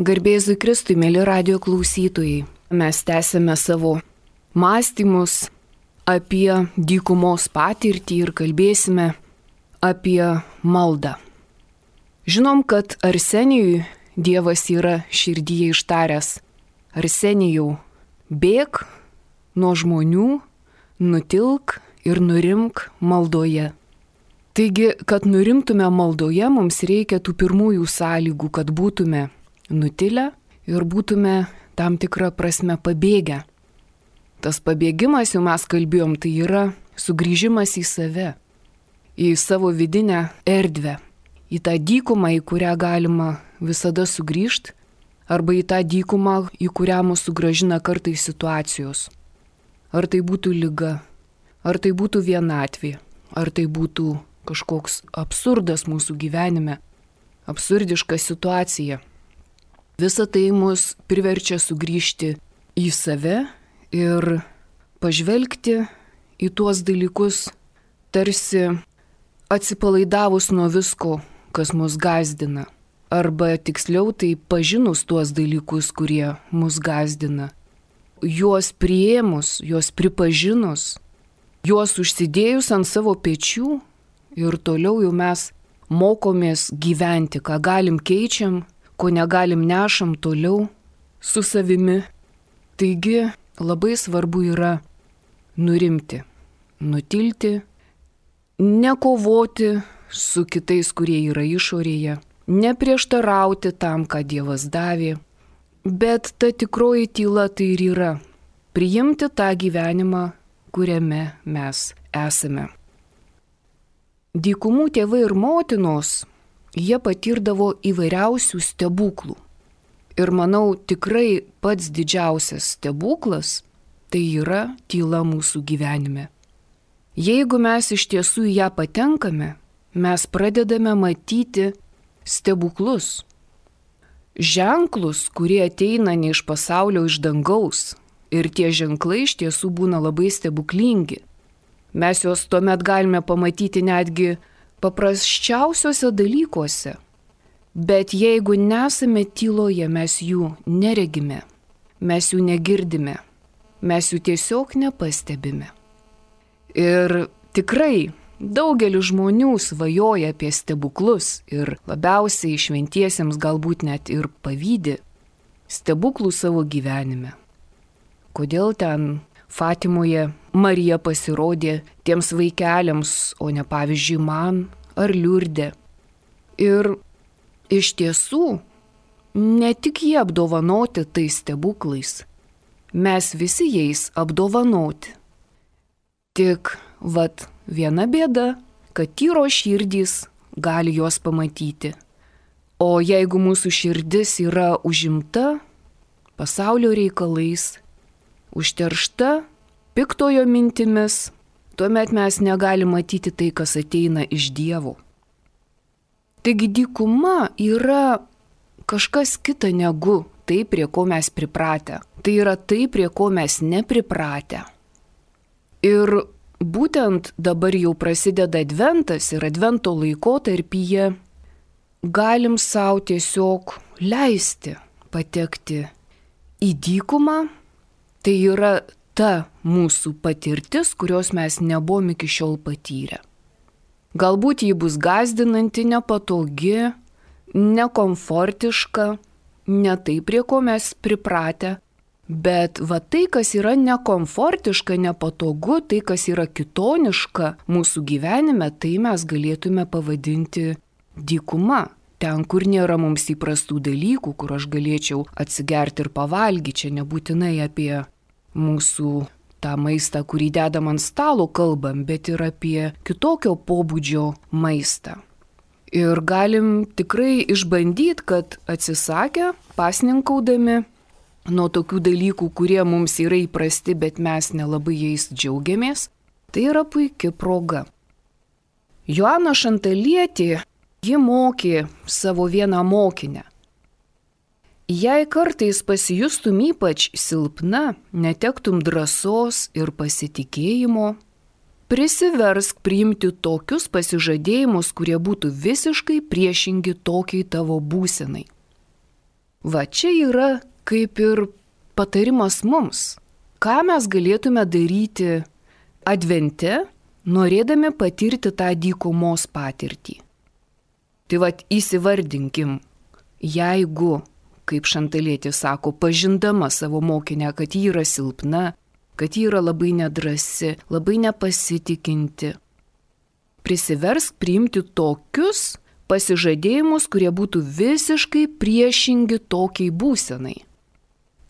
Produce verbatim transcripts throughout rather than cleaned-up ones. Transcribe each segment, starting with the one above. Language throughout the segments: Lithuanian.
Garbėzui Kristui, mėly radijo klausytojai, mes tęsėme savo mąstymus apie dykumos patirtį ir kalbėsime apie maldą. Žinom, kad Arsenijui Dievas yra širdyje ištaręs: Arsenijau, bėk nuo žmonių, nutilk ir nurimk maldoje. Taigi, kad nurimtume maldoje, mums reikia tų pirmųjų sąlygų, kad būtume nutilę ir būtume tam tikrą prasme pabėgę. Tas pabėgimas, jau mes kalbėjom, tai yra sugrįžimas į save, į savo vidinę erdvę, į tą dykumą, į kurią galima visada sugrįžti, arba į tą dykumą, į kurią mus sugrąžina kartais situacijos. Ar tai būtų liga, ar tai būtų vienatvė, ar tai būtų kažkoks absurdas mūsų gyvenime, absurdiška situacija. Visa tai mus priverčia sugrįžti į save ir pažvelgti į tuos dalykus, tarsi atsipalaidavus nuo visko, kas mus gąsdina. Arba tiksliau tai pažinus tuos dalykus, kurie mus gąsdina. Juos priėmus, juos pripažinus, juos užsidėjus ant savo pečių ir toliau jau mes mokomės gyventi, ką galim keičiam, ko negalim nešam toliau su savimi. Taigi labai svarbu yra nurimti, nutilti, nekovoti su kitais, kurie yra išorėje, neprieštarauti tam, ką Dievas davė, bet ta tikroji tyla tai ir yra priimti tą gyvenimą, kuriame mes esame. Dykumų tėvai ir motinos, jie patirdavo įvairiausių stebuklų. Ir manau, tikrai pats didžiausias stebuklas tai yra tyla mūsų gyvenime. Jeigu mes iš tiesų į ją patenkame, mes pradedame matyti stebuklus. Ženklus, kurie ateina ne iš pasaulio, iš dangaus. Ir tie ženklai iš tiesų būna labai stebuklingi. Mes juos tuomet galime pamatyti netgi paprasčiausiuose dalykuose. Bet jeigu nesame tyloje, mes jų neregime, mes jų negirdime, mes jų tiesiog nepastebime. Ir tikrai daugelis žmonių svajoja apie stebuklus ir labiausiai šventiesiems galbūt net ir pavydi stebuklų savo gyvenime. Kodėl ten Fatimoje Marija pasirodė tiems vaikeliams, o ne pavyzdžiui man ar Liurde. Ir iš tiesų, ne tik jie apdovanoti tais stebuklais, mes visi jais apdovanoti. Tik vat viena bėda, kad tyros širdys gali juos pamatyti. O jeigu mūsų širdis yra užimta pasaulio reikalais, užteršta piktojo mintimis, tuomet mes negalime matyti tai, kas ateina iš Dievo. Taigi dykuma yra kažkas kita negu tai, prie ko mes pripratę. Tai yra tai, prie ko mes nepripratę. Ir būtent dabar jau prasideda adventas ir advento laikotarpyje galim savo tiesiog leisti patekti į dykumą. Tai yra ta mūsų patirtis, kurios mes nebuvom iki šiol patyrę. Galbūt ji bus gąsdinanti, nepatogi, nekomfortiška, ne tai, prie ko mes pripratę, bet va tai, kas yra nekomfortiška, nepatogu, tai, kas yra kitoniška mūsų gyvenime, tai mes galėtume pavadinti dykuma. Ten, kur nėra mums įprastų dalykų, kur aš galėčiau atsigerti ir pavalgyti, čia nebūtinai apie mūsų tą maistą, kurį dedam ant stalo kalbam, bet ir apie kitokio pobūdžio maistą. Ir galim tikrai išbandyti, kad atsisakę, pasninkaudami nuo tokių dalykų, kurie mums yra įprasti, bet mes nelabai jais džiaugiamės, tai yra puikia proga. Joana Šantalietė, ji mokė savo vieną mokinę. Jei kartais pasijustum ypač silpna, netektum drąsos ir pasitikėjimo, prisiversk priimti tokius pasižadėjimus, kurie būtų visiškai priešingi tokiai tavo būsenai. Va čia yra kaip ir patarimas mums, ką mes galėtume daryti advente, norėdami patirti tą dykumos patirtį. Tai vat įsivardinkim, jeigu, kaip Šantalėtė sako, pažindama savo mokinę, kad ji yra silpna, kad ji yra labai nedrasi, labai nepasitikinti, prisiversk priimti tokius pasižadėjimus, kurie būtų visiškai priešingi tokiai būsenai.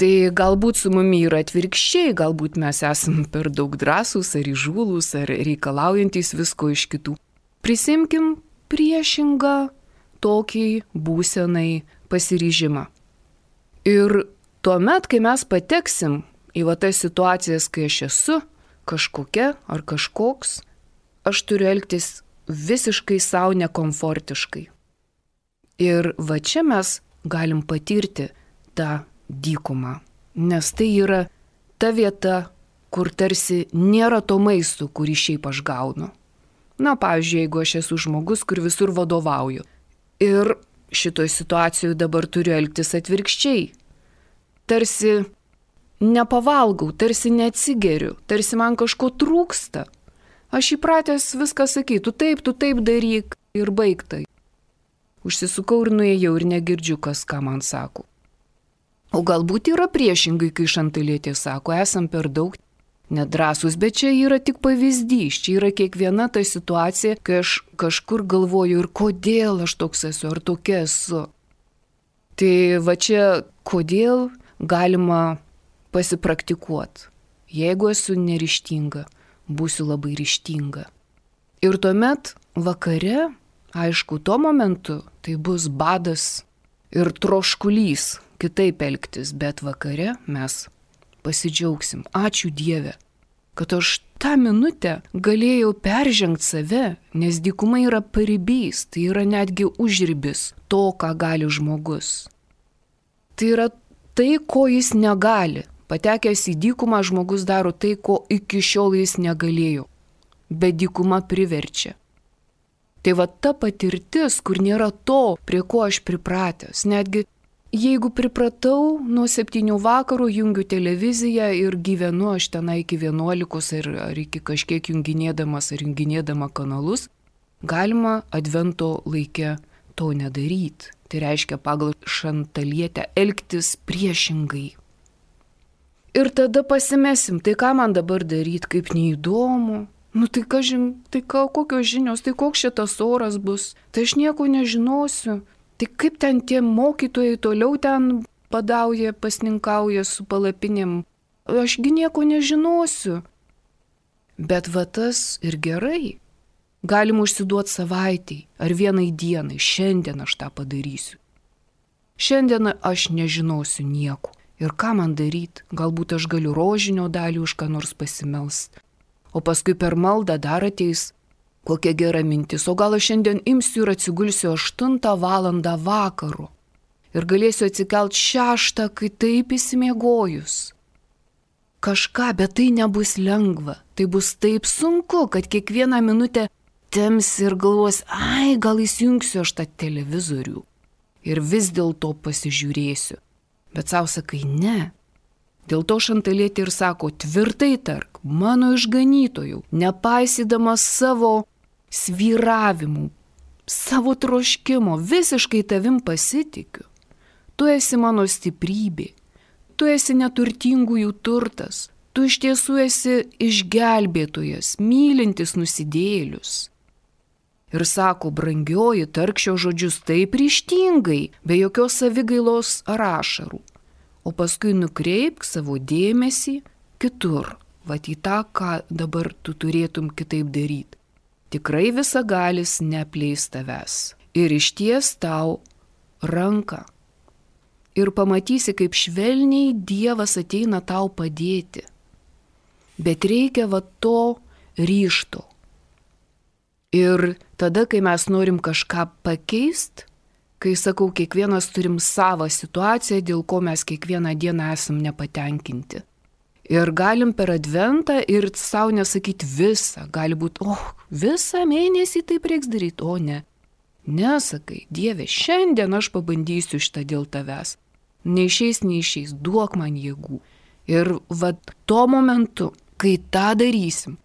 Tai galbūt su mumi yra atvirkščiai, galbūt mes esame per daug drąsūs ar įžūlūs, ar reikalaujantis visko iš kitų. Prisimkim priešingą tokiai būsenai pasiryžimą. Ir tuomet, kai mes pateksim į va tas situacijas, kai aš esu kažkokia ar kažkoks, aš turiu elgtis visiškai savo nekomfortiškai. Ir va čia mes galim patirti tą dykumą, nes tai yra ta vieta, kur tarsi nėra to maisto, kurį šiaip aš gaunu. Na, pavyzdžiui, jeigu aš esu žmogus, kur visur vadovauju ir šitoj situacijoje dabar turiu elgtis atvirkščiai, tarsi nepavalgau, tarsi neatsigeriu, tarsi man kažko trūksta. Aš įpratęs viską sakytų, taip, tu taip daryk ir baigtai. Užsisukau ir nuėjau ir negirdžiu, kas ką man sako. O galbūt yra priešingai, kai Šantalėtė sako, esam per daug nedrąsūs, bet čia yra tik pavyzdys, čia yra kiekviena ta situacija, kai aš kažkur galvoju ir kodėl aš toks esu, ar tokia esu. Tai va čia kodėl galima pasipraktikuoti. Jeigu esu neryžtinga, būsiu labai ryžtinga. Ir tuomet vakare, aišku, tuo momentu tai bus badas ir troškulys kitaip elgtis, bet vakare mes pasidžiaugsim. Ačiū Dieve, kad aš tą minutę galėjau peržengti save, nes dykuma yra paribys, tai yra netgi užribis to, ką gali žmogus. Tai yra tai, ko jis negali. Patekęs į dykumą žmogus daro tai, ko iki šiol jis negalėjo, bet dykuma priverčia. Tai va ta patirtis, kur nėra to, prie ko aš pripratęs, netgi jeigu pripratau nuo septynių vakarų, jungiu televiziją ir gyvenu aš tenai iki vienuolikos ar, ar iki kažkiek junginėdamas ar junginėdama kanalus, galima advento laike to nedaryti. Tai reiškia pagal Šantalėtę elgtis priešingai. Ir tada pasimesim, tai ką man dabar daryti, kaip neįdomu. Nu tai kažin, tai ką, kokios žinios, tai koks šitas oras bus, tai aš nieko nežinosiu. Tai kaip ten tie mokytojai toliau ten badauja, pasninkauja su palapinėm, ašgi nieko nežinosiu. Bet va tas ir gerai. Galim užsiduoti savaitei ar vienai dienai, šiandien aš tą padarysiu. Šiandien aš nežinosiu nieko. Ir ką man daryti? Galbūt aš galiu rožinio dalį už ką nors pasimelst. O paskui per maldą dar ateis kokia gera mintis. O gal aš šiandien imsiu ir atsigulsiu aštuntą valandą vakaro. Ir galėsiu atsikelt šeštą, kai taip įsimiegojus. Kažką, bet tai nebus lengva. Tai bus taip sunku, kad kiekvieną minutę temsi ir galvos, ai, gal įsijungsiu aš tą televizorių. Ir vis dėlto pasižiūrėsiu. Bet savo sakai, ne. Dėl to Šantalėtė ir sako, tvirtai tark, mano išganytojau, nepaisydamas savo svyravimų, savo troškimo, visiškai tavim pasitikiu. Tu esi mano stiprybė, tu esi neturtingųjų turtas, tu iš tiesų esi išgelbėtojas, mylintis nusidėjėlius. Ir sako, brangioji, tark šio žodžius taip ryžtingai, be jokios savigailos ar ašarų. O paskui nukreipk savo dėmesį kitur, vat į tą, ką dabar tu turėtum kitaip daryti. Tikrai visagalis neapleis tavęs ir išties tau ranką. Ir pamatysi, kaip švelniai Dievas ateina tau padėti. Bet reikia va to ryžto. Ir tada, kai mes norim kažką pakeisti, kai sakau, kiekvienas turim savo situaciją, dėl ko mes kiekvieną dieną esam nepatenkinti. Ir galim per adventą ir savo nesakyti visą. Gali būti, o, oh, visą mėnesį taip reiks daryti, o ne. Nesakai, Dieve, šiandien aš pabandysiu šitą dėl tavęs. neišeis, neišeis, duok man jėgų. Ir va tuo momentu, kai tą darysim,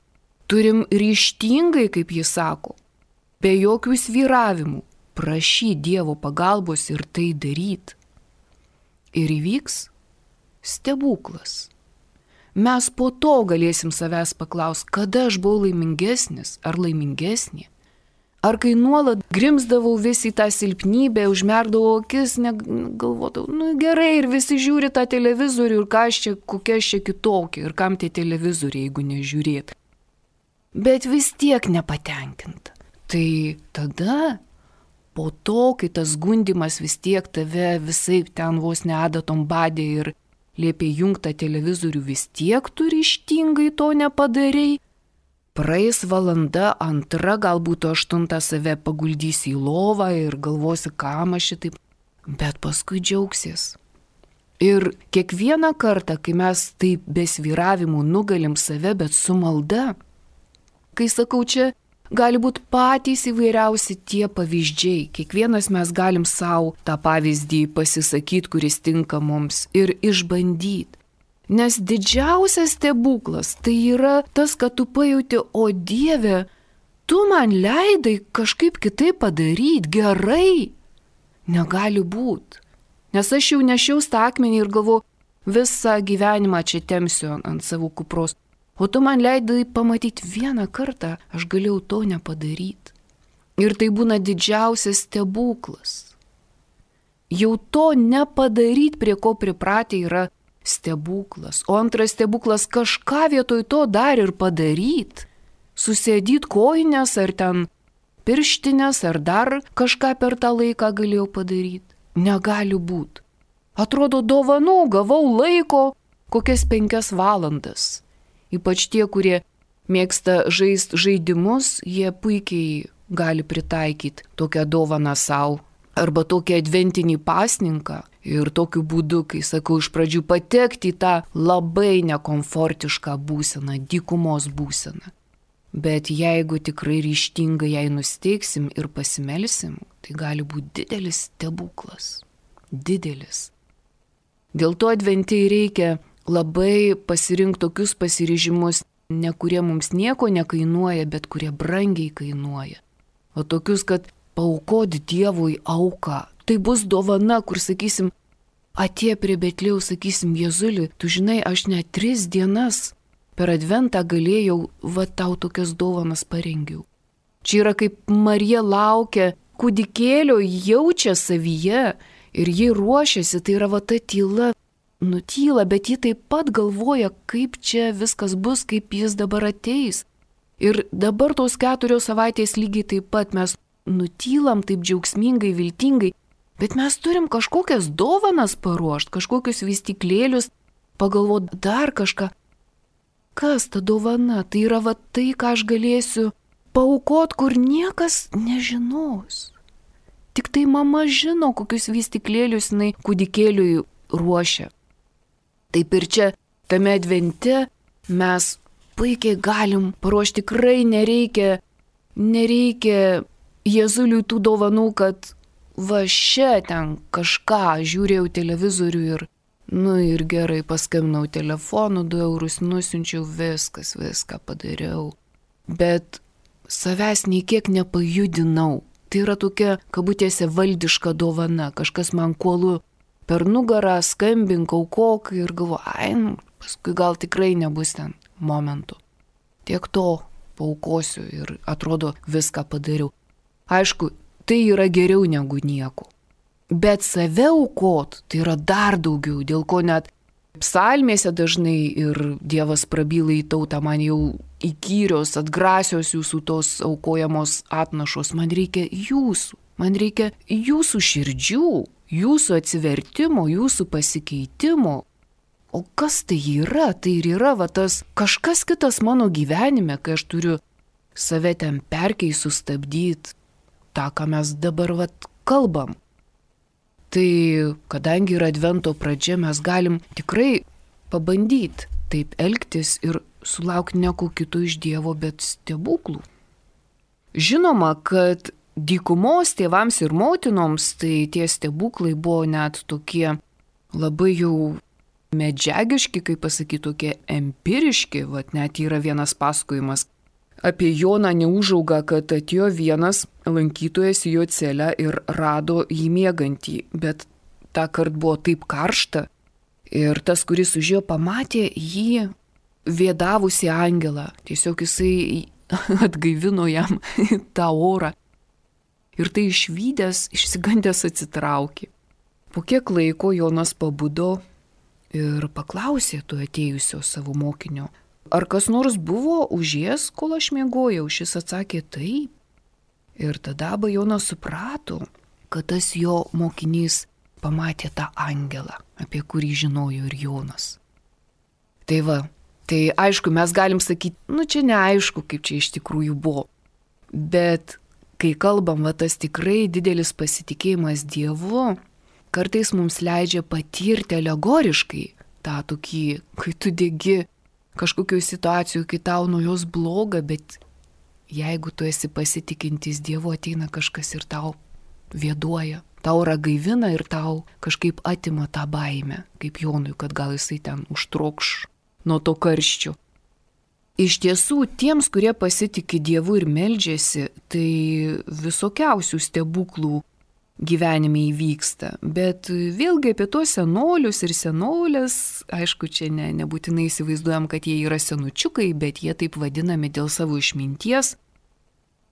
turim ryžtingai, kaip jis sako, be jokių svyravimų, prašyti Dievo pagalbos ir tai daryti. Ir įvyks stebuklas. Mes po to galėsim savęs paklausti, kada aš buvau laimingesnis ar laimingesnė. Ar kai nuolat grimzdavau vis į tą silpnybę, užmerkdavau akis, galvodavau, nu gerai, ir visi žiūri tą televizorių, ir ką aš čia, kokia aš čia kitokia, ir kam tie televizoriai, jeigu nežiūrėt. Bet vis tiek nepatenkinta. Tai tada, po to, kai tas gundimas vis tiek tave visai ten vos neadatom badė ir liepė jungtą televizorių, vis tiek tu ryžtingai to nepadarei, praeis valanda, antra, galbūt aštuntą save paguldysi į lovą ir galvosi, kam aš šitaip, bet paskui džiaugsies. Ir kiekvieną kartą, kai mes taip be svyravimų nugalim save, bet su malda, kai sakau, čia gali būti patys įvairiausi tie pavyzdžiai. Kiekvienas mes galim savo tą pavyzdį pasisakyti, kuris tinka mums ir išbandyti. Nes didžiausias stebuklas tai yra tas, kad tu pajauti, o Dieve, tu man leidai kažkaip kitaip padaryti, gerai. Negali būti. Nes aš jau nešiau tą akmenį ir galvoju, visą gyvenimą čia temsiu ant savo kupros. O tu man leidai pamatyti vieną kartą, aš galėjau to nepadaryti. Ir tai būna didžiausias stebuklas. Jau to nepadaryti, prie ko pripratę, yra stebuklas. O antras stebuklas kažką vietoj to dar ir padaryti. Susėdyti kojines ar ten pirštinės ar dar kažką per tą laiką galėjau padaryti. Negali būti. Atrodo, dovanų gavau laiko kokias penkias valandas. Ypač tie, kurie mėgsta žaisti žaidimus, jie puikiai gali pritaikyti tokią dovaną savo. Arba tokį adventinį pasninką ir tokiu būdu, kai sakau, iš pradžių patekti į tą labai nekomfortišką būseną, dykumos būseną. Bet jeigu tikrai ryžtingai jai nusteiksim ir pasimelsim, tai gali būti didelis stebuklas. Didelis. Dėl to adventiai reikia labai pasirinkti tokius pasiryžimus, ne kurie mums nieko nekainuoja, bet kurie brangiai kainuoja. O tokius, kad paaukoti Dievui auką. Tai bus dovana, kur, sakysim, atėję prie Betlėjaus, sakysim, Jėzuli, tu žinai, aš net tris dienas per adventą galėjau, va tau tokias dovanas parengiau. Čia yra kaip Marija laukia kūdikėlio, jaučia savyje ir ji ruošiasi, tai yra va ta tyla, nutyla, bet ji taip pat galvoja, kaip čia viskas bus, kaip jis dabar ateis. Ir dabar tos keturios savaitės lygiai taip pat mes nutylam taip džiaugsmingai, viltingai, bet mes turim kažkokias dovanas paruošti, kažkokius vystyklėlius, pagalvoti dar kažką. Kas ta dovana? Tai yra va tai, ką aš galėsiu paaukoti, kur niekas nežinos. Tik tai mama žino, kokius vystyklėlius jinai kūdikėliui ruošia. Taip ir čia, tame advente, mes puikiai galim paruošti, tikrai nereikia, nereikia Jėzuliui tų dovanų, kad va šia ten kažką žiūrėjau televizorių ir, nu ir gerai, paskambinau telefonu, du eurus nusiunčiau, viskas, viską padariau. Bet savęs nei kiek nepajudinau. Tai yra tokia, kabutėse, valdiška dovana. Kažkas man kuolu per nugarą, skambink, aukok ir galvo, ai, nu, paskui gal tikrai nebus ten momentų. Tiek to paaukosiu ir atrodo viską padariau. Aišku, tai yra geriau negu nieko. Bet save aukot, tai yra dar daugiau, dėl ko net psalmėse dažnai ir Dievas prabyla į tautą, man jau įkyrios, atgrasios jūsų tos aukojamos atnašos, man reikia jūsų, man reikia jūsų širdžių, jūsų atsivertimo, jūsų pasikeitimo. O kas tai yra? Tai ir yra va tas kažkas kitas mano gyvenime, kai aš turiu save ten perkeist, sustabdyti, tą, ką mes dabar vat kalbam. Tai kadangi yra advento pradžia, mes galim tikrai pabandyti taip elgtis ir sulaukti nieko kito iš Dievo, bet stebuklų. Žinoma, kad dykumos tėvams ir motinoms tai tie stebuklai buvo net tokie labai jau medžiagiški, kaip pasakyti, tokie empiriški. Vat net yra vienas pasakojimas apie Joną Neužaugą, kad atėjo vienas lankytojas į jo celę ir rado jį miegantį, bet tą kartą buvo taip karšta ir tas, kuris užėjo, pamatė jį vėdavusi angelą. Tiesiog jisai atgaivino jam tą orą. Ir tai išvydęs, išsigandęs atsitraukė. Po kiek laiko Jonas pabudo ir paklausė to atėjusio savo mokinio, ar kas nors buvo užėjęs, kol aš miegojau. Šis atsakė taip. Ir tada Abba Jonas suprato, kad tas jo mokinys pamatė tą angelą, apie kurį žinojo ir Jonas. Tai va, tai aišku, mes galim sakyti, nu čia neaišku, kaip čia iš tikrųjų buvo. Bet kai kalbam, va tas tikrai didelis pasitikėjimas Dievu, kartais mums leidžia patirti alegoriškai tą tokį, kai tu degi kažkokioj situacijoje, kai tau nuo jos bloga, bet jeigu tu esi pasitikintis Dievu, ateina kažkas ir tau vėduoja, tau ragaivina ir tau kažkaip atima tą baimę, kaip Jonui, kad gal jisai ten užtrokš nuo to karščio. Iš tiesų, tiems, kurie pasitikė Dievu ir meldžiasi, tai visokiausių stebuklų gyvenime įvyksta. Bet vėlgi apie tuos senolius ir senolės, aišku, čia ne, nebūtinai įsivaizduojam, kad jie yra senučiukai, bet jie taip vadinami dėl savo išminties.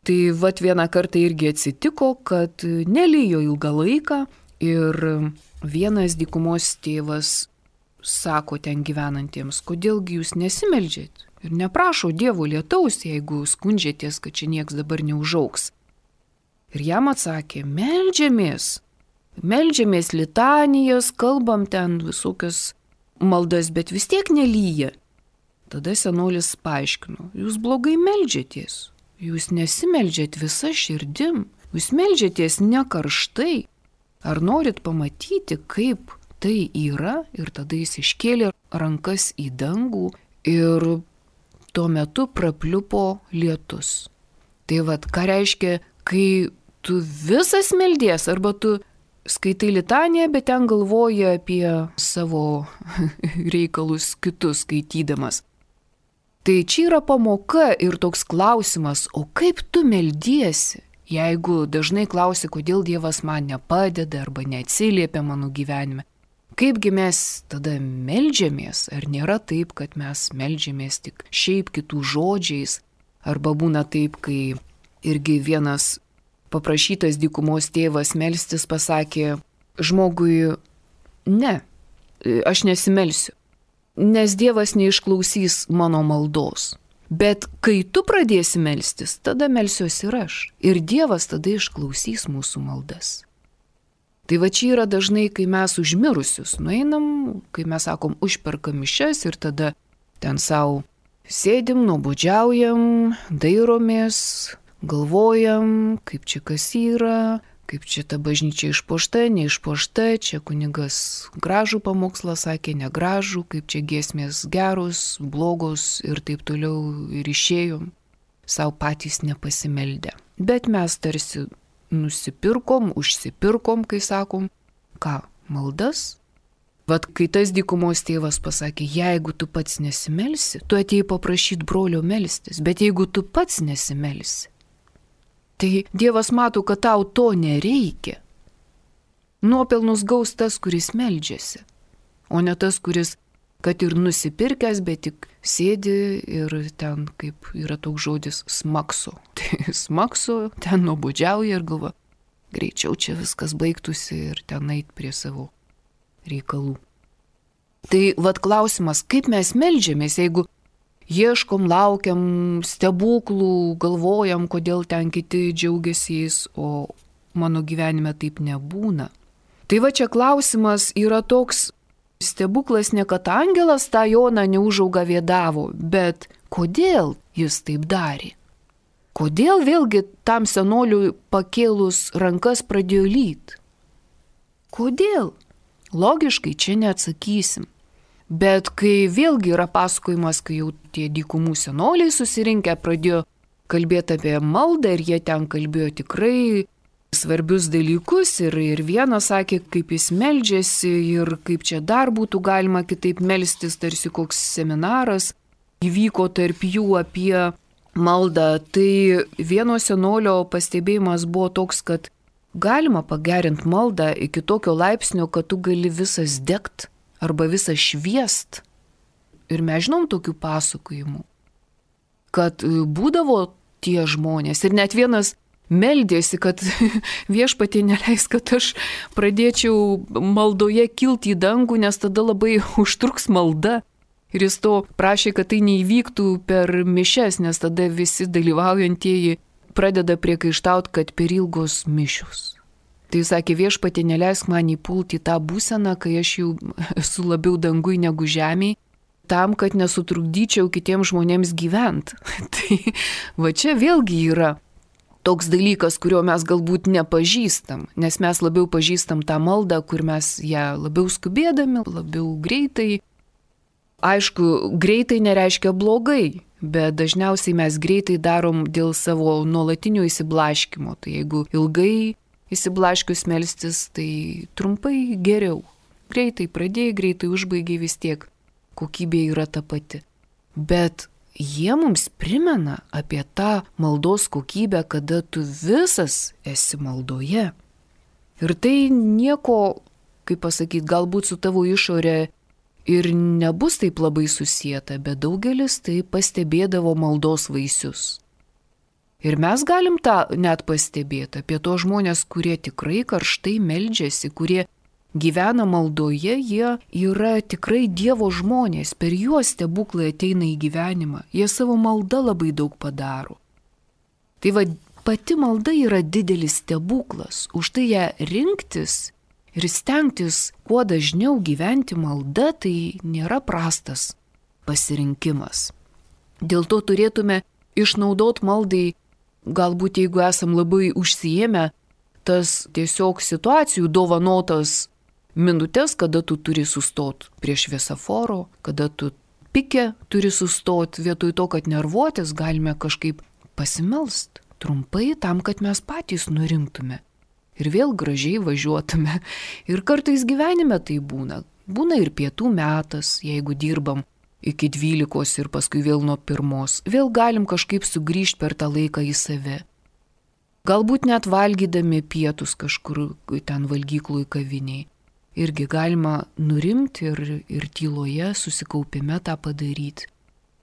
Tai vat vieną kartą irgi atsitiko, kad nelijo ilgą laiką ir vienas dykumos tėvas sako ten gyvenantiems, kodėlgi jūs nesimeldžiat ir neprašo Dievo lietaus, jeigu skundžiatės, kad čia nieks dabar neužaugs. Ir jam atsakė, meldžiamės, meldžiamės litanijas, kalbam ten visokias maldas, bet vis tiek nelyja. Tada senolis paaiškino, jūs blogai meldžiatės, jūs nesimeldžiat visa širdim, jūs meldžiatės ne karštai. Ar norit pamatyti, kaip tai yra? Ir tada jis iškėlė rankas į dangų ir tuo metu prapliupo lietus. Tai vad, ką reiškia, kai tu visas meldies, arba tu skaitai litaniją, bet ten galvoji apie savo reikalus kitus skaitydamas. Tai čia yra pamoka ir toks klausimas, o kaip tu meldiesi? Jeigu dažnai klausi, kodėl Dievas man nepadeda arba neatsiliepia mano gyvenime, kaipgi mes tada meldžiamės? Ar nėra taip, kad mes meldžiamės tik šiaip kitų žodžiais? Arba būna taip, kai irgi vienas paprašytas dykumos tėvas melstis pasakė žmogui, ne, aš nesimelsiu, nes Dievas neišklausys mano maldos. Bet kai tu pradėsi melstis, tada melsiuosi ir aš. Ir Dievas tada išklausys mūsų maldas. Tai va čia yra dažnai, kai mes užmirusius nueinam, kai mes sakom, užperkam mišias ir tada ten savo sėdim, nuobodžiaujam, dairomės, galvojam, kaip čia kas yra, kaip čia ta bažnyčia išpuošta, neišpuošta, čia kunigas gražų pamokslą sakė, negražų, kaip čia giesmės geros, blogos ir taip toliau ir išėjom, savo patys nepasimeldę. Bet mes tarsi nusipirkom, užsipirkom, kai sakom, ką, maldas? Vat kai tas dykumos tėvas pasakė, jeigu tu pats nesimelsi, tu atėjai paprašyti brolio melstis, bet jeigu tu pats nesimelsi, tai Dievas mato, kad tau to nereikia. Nuopelnus gaus tas, kuris meldžiasi, o ne tas, kuris, kad ir nusipirkęs, bet tik sėdi ir ten, kaip yra toks žodis, smakso. Tai smakso, ten nuobodžiauja ir galva, greičiau čia viskas baigtųsi ir ten eit prie savo reikalų. Tai vat klausimas, kaip mes meldžiamės, jeigu ieškom, laukiam stebuklų, galvojam, kodėl ten kiti džiaugiasi jais, o mano gyvenime taip nebūna. Tai va čia klausimas yra toks, stebuklas ne kad angelas tą Joną Neužaugą vėdavo, bet kodėl jis taip darė? Kodėl vėlgi tam senoliui pakėlus rankas pradėjo lyt? Kodėl? Logiškai čia neatsakysim. Bet kai vėlgi yra pasakojimas, kai jau tie dykumų senoliai susirinkę pradėjo kalbėti apie maldą ir jie ten kalbėjo tikrai svarbius dalykus ir, ir vienas sakė, kaip jis meldžiasi ir kaip čia dar būtų galima kitaip melstis, tarsi koks seminaras įvyko tarp jų apie maldą. Tai vieno senolio pastebėjimas buvo toks, kad galima pagerinti maldą iki tokio laipsnio, kad tu gali visas degt arba visas šviest. Ir mes žinom tokių pasakojimų, kad būdavo tie žmonės ir net vienas meldėsi, kad viešpatie neleis, kad aš pradėčiau maldoje kilti į dangų, nes tada labai užtruks malda. Ir jis to prašė, kad tai neįvyktų per mišias, nes tada visi dalyvaujantieji pradeda priekaištauti, kad per ilgos mišios. Tai jis sakė, viešpatie neleisk man įpulti į tą būseną, kai aš jau esu labiau dangui negu žemėj, tam, kad nesutrukdyčiau kitiems žmonėms gyventi. Tai va čia vėlgi yra toks dalykas, kurio mes galbūt nepažįstam, nes mes labiau pažįstam tą maldą, kur mes ją labiau skubėdami, labiau greitai. Aišku, greitai nereiškia blogai, bet dažniausiai mes greitai darom dėl savo nuolatinio įsiblaškymo. Tai jeigu ilgai įsiblaškius melstis, tai trumpai geriau. Greitai pradėjai, greitai užbaigiai, vis tiek kokybė yra ta pati. Bet jie mums primena apie tą maldos kokybę, kada tu visas esi maldoje. Ir tai nieko, kaip pasakyti, galbūt su tavo išorė ir nebus taip labai susieta, bet daugelis tai pastebėdavo maldos vaisius. Ir mes galim tą net pastebėti apie to žmonės, kurie tikrai karštai meldžiasi, kurie gyvena maldoje, jie yra tikrai Dievo žmonės, per juos stebuklai ateina į gyvenimą, jie savo maldą labai daug padaro. Tai va, pati malda yra didelis stebuklas, už tai ją rinktis ir stengtis kuo dažniau gyventi malda, tai nėra prastas pasirinkimas. Dėl to turėtume išnaudoti maldai, galbūt jeigu esam labai užsiėmę, tas tiesiog situacijų dovanotas minutės, kada tu turi sustot prie šviesoforo, kada tu pike turi sustot, vietoj to, kad nervuotis, galime kažkaip pasimelst trumpai tam, kad mes patys nurimtume ir vėl gražiai važiuotume. Ir kartais gyvenime tai būna. Būna ir pietų metas, jeigu dirbam iki dvylikos ir paskui vėl nuo pirmos. Vėl galim kažkaip sugrįžti per tą laiką į save. Galbūt net valgydami pietus kažkur ten valgyklui kaviniai. Irgi galima nurimti ir, ir tyloje susikaupime tą padaryti.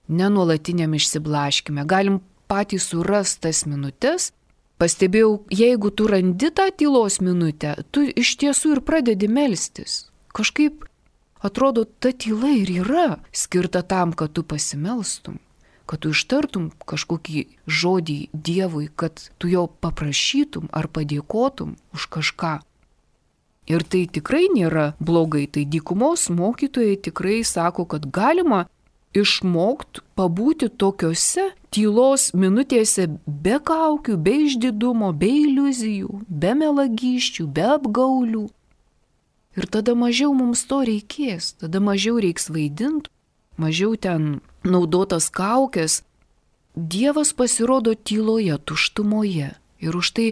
Nenuolatiniam išsiblaškime. Galim patys surasti tas minutės. Pastebėjau, jeigu tu randi tą tylos minutę, tu iš tiesų ir pradedi melstis. Kažkaip atrodo, ta tyla ir yra skirta tam, kad tu pasimelstum, kad tu ištartum kažkokį žodį Dievui, kad tu jo paprašytum ar padėkotum už kažką. Ir tai tikrai nėra blogai, tai dykumos mokytojai tikrai sako, kad galima išmokti pabūti tokiose tylos minutėse be kaukių, be išdidumo, be iliuzijų, be melagyščių, be apgaulių. Ir tada mažiau mums to reikės, tada mažiau reiks vaidinti, mažiau ten naudotas kaukės. Dievas pasirodo tyloje, tuštumoje. Ir už tai,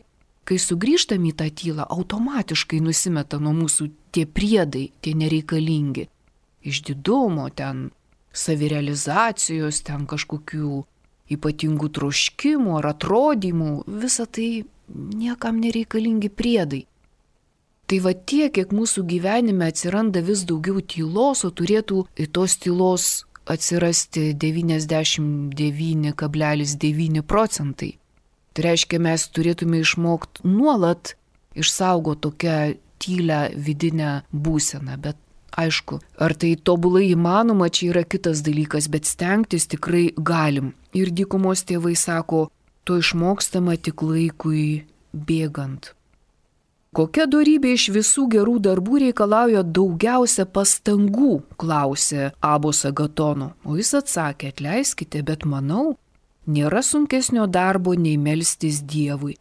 kai sugrįžtam į tą tylą, automatiškai nusimeta nuo mūsų tie priedai, tie nereikalingi. Išdidumo, ten savirealizacijos, ten kažkokių ypatingų troškimų ar atrodymų, visa tai niekam nereikalingi priedai. Tai va tiek, kiek mūsų gyvenime atsiranda vis daugiau tylos, o turėtų į tos tylos atsirasti devyniasdešimt devyni kablelis devyni procentai. Tai reiškia, mes turėtume išmokti nuolat išsaugoti tokią tylę vidinę būseną. Bet aišku, ar tai tobulai įmanoma, čia yra kitas dalykas, bet stengtis tikrai galim. Ir dykumos tėvai sako, to išmokstama tik laikui bėgant. Kokia dorybė iš visų gerų darbų reikalauja daugiausia pastangų, klausė Abos Agatono. O jis atsakė, atleiskite, bet manau, nėra sunkesnio darbo nei melstis Dievui.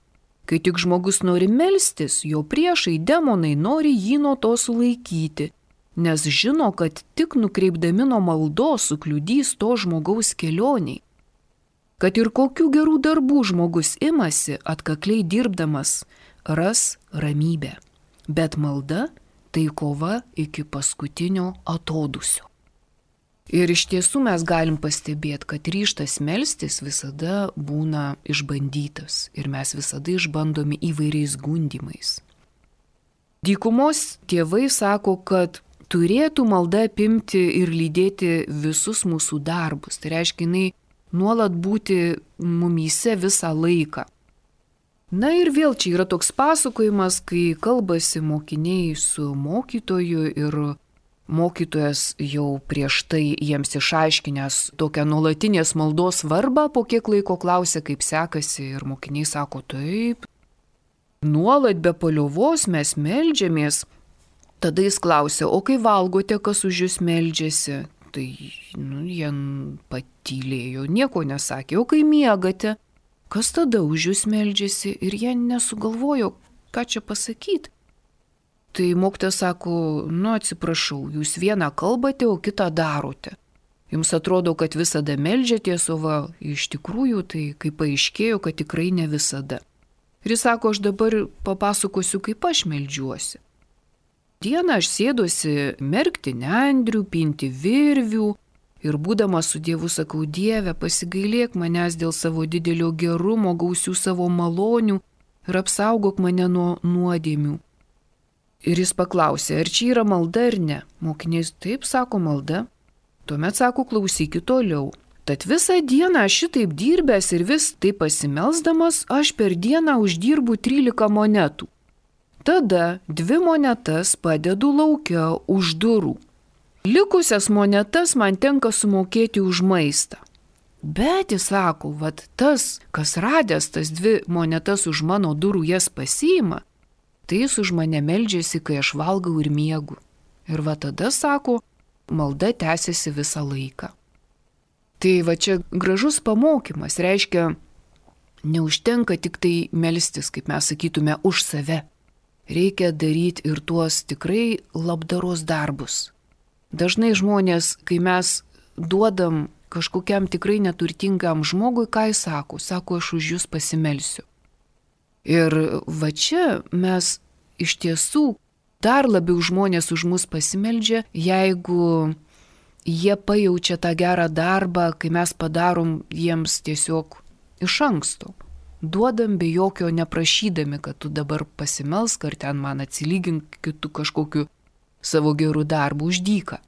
Kai tik žmogus nori melstis, jo priešai demonai nori jį nuo to sulaikyti, nes žino, kad tik nukreipdami nuo maldos sukliudys to žmogaus kelioniai. Kad ir kokių gerų darbų žmogus imasi, atkakliai dirbdamas, ras ramybę. Bet malda tai kova iki paskutinio atodūsio. Ir iš tiesų mes galim pastebėti, kad ryžtas melstis visada būna išbandytas ir mes visada išbandomi įvairiais gundymais. Dykumos tėvai sako, kad turėtų malda apimti ir lydėti visus mūsų darbus. Tai reiškia, jinai nuolat būti mumyse visą laiką. Na ir vėl čia yra toks pasakojimas, kai kalbasi mokiniai su mokytoju ir mokytojas jau prieš tai jiems išaiškinęs tokią nuolatinės maldos svarbą, po kiek laiko klausia, kaip sekasi, ir mokiniai sako, taip, nuolat be paliovos mes meldžiamės. Tada jis klausia, o kai valgote, kas už jūs meldžiasi? Tai nu, jie patylėjo, nieko nesakė, o kai miegate, kas tada už jūs meldžiasi? Ir jie nesugalvojo, ką čia pasakyti. Tai mokytojas sako, nu atsiprašau, jūs vieną kalbate, o kitą darote. Jums atrodo, kad visada meldžiatės, o va, iš tikrųjų tai kaip paaiškėjo, kad tikrai ne visada. Ir jis sako, aš dabar papasakosiu, kaip aš meldžiuosi. Dieną aš sėdosi merkti nendrių, pinti virvių ir būdamas su Dievu sakau, Dieve, pasigailėk manęs dėl savo didelio gerumo, gausių savo malonių ir apsaugok mane nuo nuodėmių. Ir jis paklausė, ar čia yra malda ar ne. Mokiniai taip sako malda. Tuomet sako, klausykit toliau. Tad visą dieną aš šitaip dirbęs ir vis taip pasimelsdamas, aš per dieną uždirbu trylika monetų. Tada dvi monetas padedu laukia už durų. Likusias monetas man tenka sumokėti už maistą. Bet jis sako, vat tas, kas radęs tas dvi monetas už mano durų jas pasiima, tai jis už mane meldžiasi, kai aš valgau ir miegu. Ir va tada, sako, malda tęsiasi visą laiką. Tai va čia gražus pamokymas, reiškia, neužtenka tik tai melstis, kaip mes sakytume, už save. Reikia daryti ir tuos tikrai labdaros darbus. Dažnai žmonės, kai mes duodam kažkokiam tikrai neturtingam žmogui, ką jis sako, sako, aš už jūs pasimelsiu. Ir va čia mes iš tiesų dar labiau žmonės už mus pasimeldžia, jeigu jie pajaučia tą gerą darbą, kai mes padarom jiems tiesiog iš anksto. Duodam be jokio neprašydami, kad tu dabar pasimelsk ar ten man atsilygink kitų kažkokiu savo gerų darbų už dyką.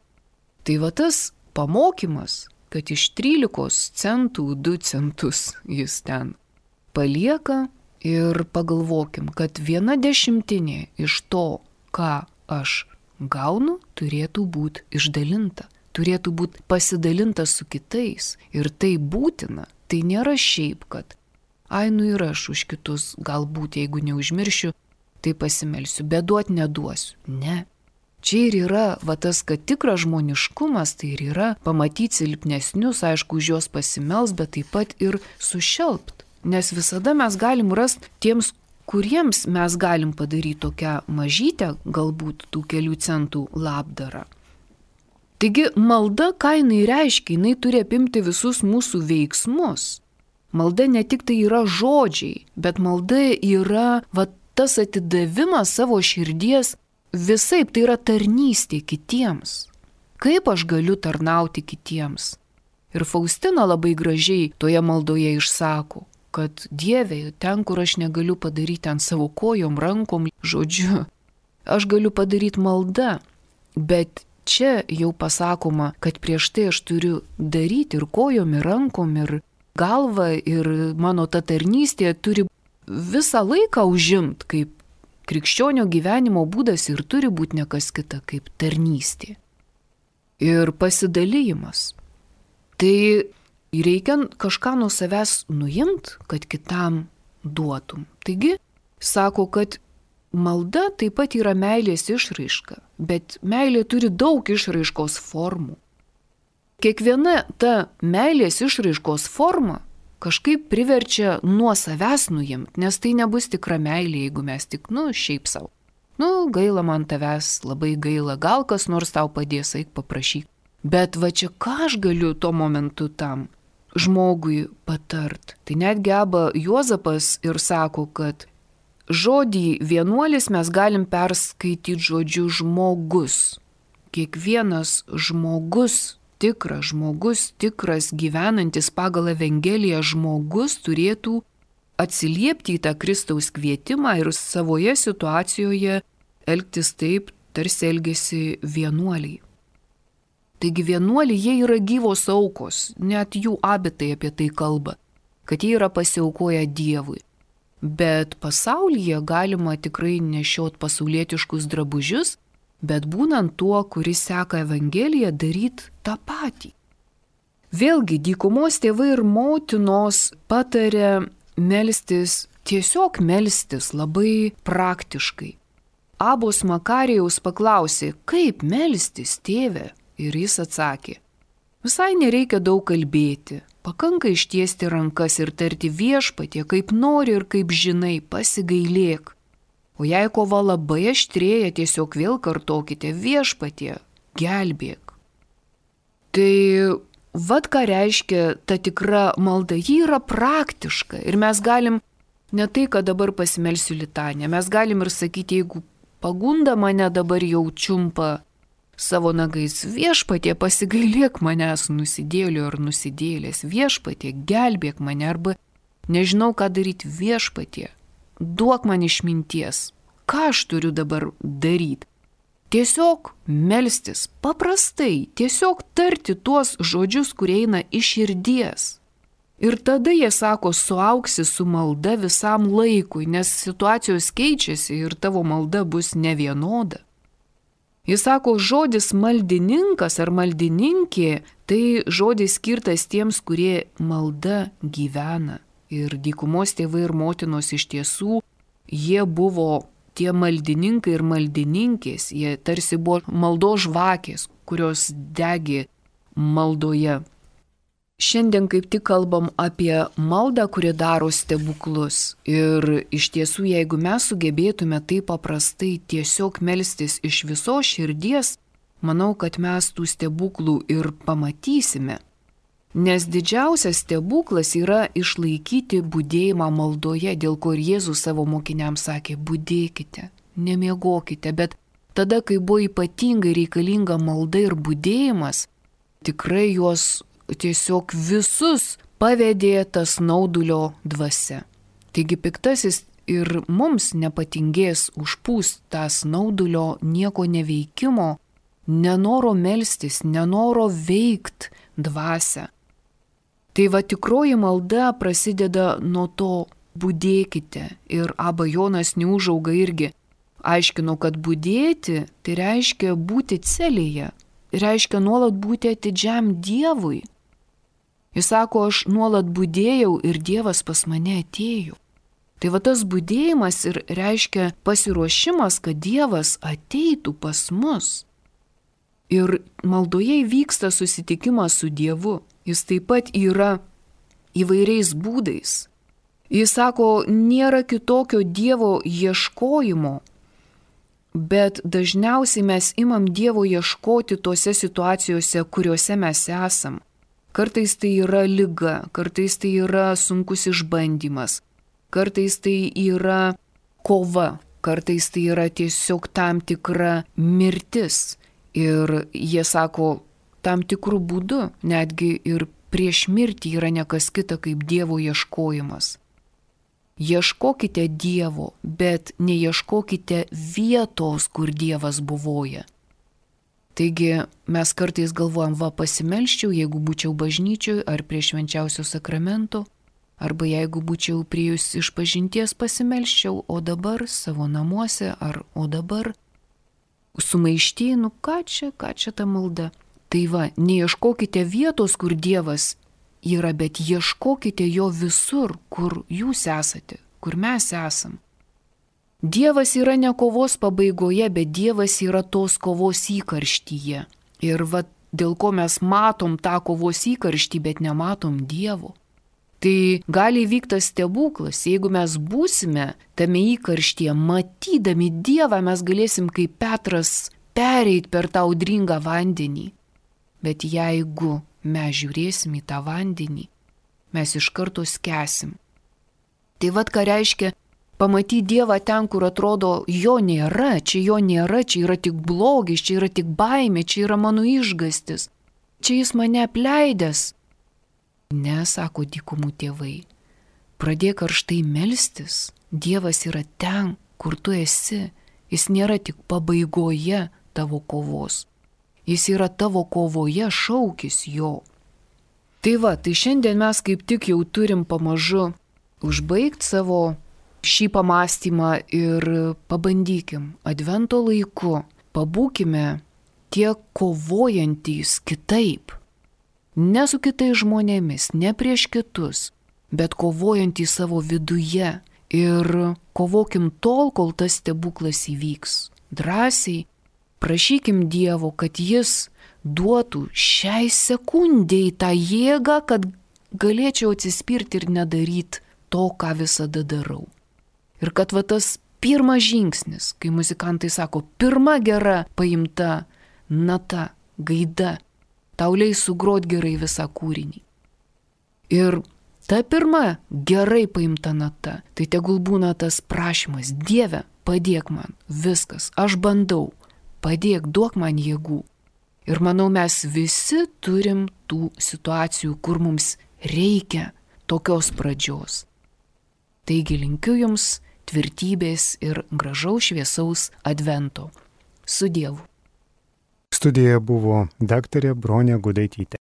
Tai va tas pamokymas, kad iš trylikos centų du centus jis ten palieka. Ir pagalvokim, kad viena dešimtinė iš to, ką aš gaunu, turėtų būti išdalinta, turėtų būti pasidalinta su kitais. Ir tai būtina, tai nėra šiaip, kad, ai nu ir aš už kitus, galbūt jeigu neužmiršiu, tai pasimelsiu, bet duot neduosiu. Ne. Čia ir yra, va tas, kad tikras žmoniškumas, tai ir yra pamatyti silpnesnius, aišku, už juos pasimels, bet taip pat ir sušelpt. Nes visada mes galim rasti tiems, kuriems mes galim padaryti tokią mažytę, galbūt tų kelių centų labdarą. Taigi malda, ką jinai reiškia, jinai turi apimti visus mūsų veiksmus. Malda ne tik tai yra žodžiai, bet malda yra va, tas atidavimas savo širdies visaip, tai yra tarnystė kitiems. Kaip aš galiu tarnauti kitiems? Ir Faustina labai gražiai toje maldoje išsako, kad Dieve, ten, kur aš negaliu padaryti ant savo kojom, rankom, žodžiu, aš galiu padaryti maldą, bet čia jau pasakoma, kad prieš tai aš turiu daryti ir kojom, ir rankom, ir galvą, ir mano ta tarnystė turi visą laiką užimt, kaip krikščionio gyvenimo būdas ir turi būti nekas kita kaip tarnystė. Ir pasidalymas. Tai reikia kažką nuo savęs nuimt, kad kitam duotum. Taigi, sako, kad malda taip pat yra meilės išraiška, bet meilė turi daug išraiškos formų. Kiekviena ta meilės išraiškos forma kažkaip priverčia nuo savęs nuimt, nes tai nebus tikra meilė, jeigu mes tik, nu, šiaip savo. Nu, gaila man tavęs, labai gaila, gal kas nors tau padės, eik paprašyk. Bet va čia ką aš galiu tuo momentu tam žmogui patart. Tai net geba Juozapas ir sako, kad žodį vienuolis mes galim perskaityti žodžiu žmogus. Kiekvienas žmogus, tikras žmogus, tikras gyvenantis pagal Evangeliją žmogus turėtų atsiliepti į tą Kristaus kvietimą ir savoje situacijoje elgtis taip, tarsi elgėsi vienuoliai. Taigi vienuoliai, jie yra gyvos aukos, net jų abitai apie tai kalba, kad jie yra pasiaukoję Dievui. Bet pasaulyje galima tikrai nešiot pasaulietiškus drabužius, bet būnant tuo, kuris seka Evangeliją, daryti tą patį. Vėlgi, dykumos tėvai ir motinos patarė melstis, tiesiog melstis labai praktiškai. Abos Makarijaus paklausė, kaip melstis, tėve? Ir jis atsakė, visai nereikia daug kalbėti, pakanka ištiesti rankas ir tarti viešpatie, kaip nori ir kaip žinai, pasigailėk. O jei kova labai aštrėja, tiesiog vėl kartokite viešpatie, gelbėk. Tai vad ką reiškia ta tikra malda, ji yra praktiška ir mes galim ne tai, kad dabar pasimelsiu litanę, mes galim ir sakyti, jeigu pagunda mane dabar jau čiumpa savo nagais, viešpatie pasigailėk manęs nusidėliu ar nusidėlės, viešpatie gelbėk mane arba nežinau ką daryti, viešpatie, duok man išminties, ką aš turiu dabar daryti. Tiesiog melstis, paprastai, tiesiog tarti tuos žodžius, kurie eina iš širdies. Ir tada jie sako, suauksi su malda visam laikui, nes situacijos keičiasi ir tavo malda bus nevienoda. Jis sako, žodis maldininkas ar maldininkė, tai žodis skirtas tiems, kurie malda gyvena. Ir dykumos tėvai ir motinos iš tiesų, jie buvo tie maldininkai ir maldininkės, jie tarsi buvo maldos žvakės, kurios degė maldoje. Šiandien kaip tik kalbam apie maldą, kuri daro stebuklus. Ir iš tiesų, jeigu mes sugebėtume taip paprastai tiesiog melstis iš visos širdies, manau, kad mes tų stebuklų ir pamatysime. Nes didžiausias stebuklas yra išlaikyti budėjimą maldoje, dėl ko ir Jėzus savo mokiniams sakė, budėkite, nemiegokite, bet tada, kai buvo ypatingai reikalinga malda ir budėjimas, tikrai juos tiesiog visus pavedė tas snaudulio dvasia. Taigi piktasis ir mums nepatingės užpūst tą snaudulio nieko neveikimo, nenoro melstis, nenoro veikt dvasią. Tai va tikroji malda prasideda nuo to budėkite ir Aba Jonas Neužauga irgi aiškino, kad budėti tai reiškia būti celėje, reiškia nuolat būti atidžiam Dievui. Jis sako, aš nuolat budėjau ir Dievas pas mane atėjo. Tai va tas budėjimas ir reiškia pasiruošimas, kad Dievas ateitų pas mus. Ir maldoje vyksta susitikimas su Dievu. Jis taip pat yra įvairiais būdais. Jis sako, nėra kitokio Dievo ieškojimo, bet dažniausiai mes imam Dievo ieškoti tose situacijose, kuriuose mes esam. Kartais tai yra liga, kartais tai yra sunkus išbandymas, kartais tai yra kova, kartais tai yra tiesiog tam tikra mirtis. Ir jie sako, tam tikrų būdų, netgi ir prieš mirtį yra nekas kita kaip Dievo ieškojimas. Ieškokite Dievo, bet neieškokite vietos, kur Dievas buvoja. Taigi mes kartais galvojam, va pasimelščiau, jeigu būčiau bažnyčioj ar prie švenčiausio sakramento, arba jeigu būčiau priejus iš pažinties pasimelščiau, o dabar savo namuose ar o dabar sumaišty, nu ką čia, ką čia ta malda. Tai va, neieškokite vietos, kur Dievas yra, bet ieškokite jo visur, kur jūs esate, kur mes esam. Dievas yra ne kovos pabaigoje, bet Dievas yra tos kovos įkarštyje. Ir va, dėl ko mes matom tą kovos įkarštį, bet nematom Dievo. Tai gali įvykti stebuklas, jeigu mes būsime tame įkarštyje, matydami Dievą, mes galėsim kaip Petras pereit per tą audringą vandenį. Bet jeigu mes žiūrėsim į tą vandenį, mes iš karto skęsim. Tai vad ką reiškia Pamatyti Dievą ten, kur atrodo jo nėra, čia jo nėra, čia yra tik blogis, čia yra tik baimė, čia yra mano išgastis, čia jis mane apleidęs. Ne, sako dykumų tėvai, pradėk karštai melstis, Dievas yra ten, kur tu esi, jis nėra tik pabaigoje tavo kovos, jis yra tavo kovoje, šaukis jo. Tai va, tai šiandien mes kaip tik jau turim pamažu užbaigti savo šį pamastymą ir pabandykim advento laiku, pabūkime tie kovojantys kitaip. Ne su kitais žmonėmis, ne prieš kitus, bet kovojantys savo viduje ir kovokim tol, kol tas stebuklas įvyks. Drąsiai prašykim Dievo, kad jis duotų šiai sekundėjai tą jėgą, kad galėčiau atsispirti ir nedaryti to, ką visada darau. Ir kad va tas pirmas žingsnis, kai muzikantai sako, pirma gera paimta nata, gaida, tau leis sugrot gerai visą kūrinį. Ir ta pirma gerai paimta nata, tai tegul būna tas prašymas, Dieve, padėk man, viskas, aš bandau, padėk, duok man jėgų. Ir manau, mes visi turim tų situacijų, kur mums reikia tokios pradžios. Taigi linkiu jums tvirtybės ir gražaus šviesaus advento. Su Dievu. Studijoje buvo daktarė Bronė Gudaitytė.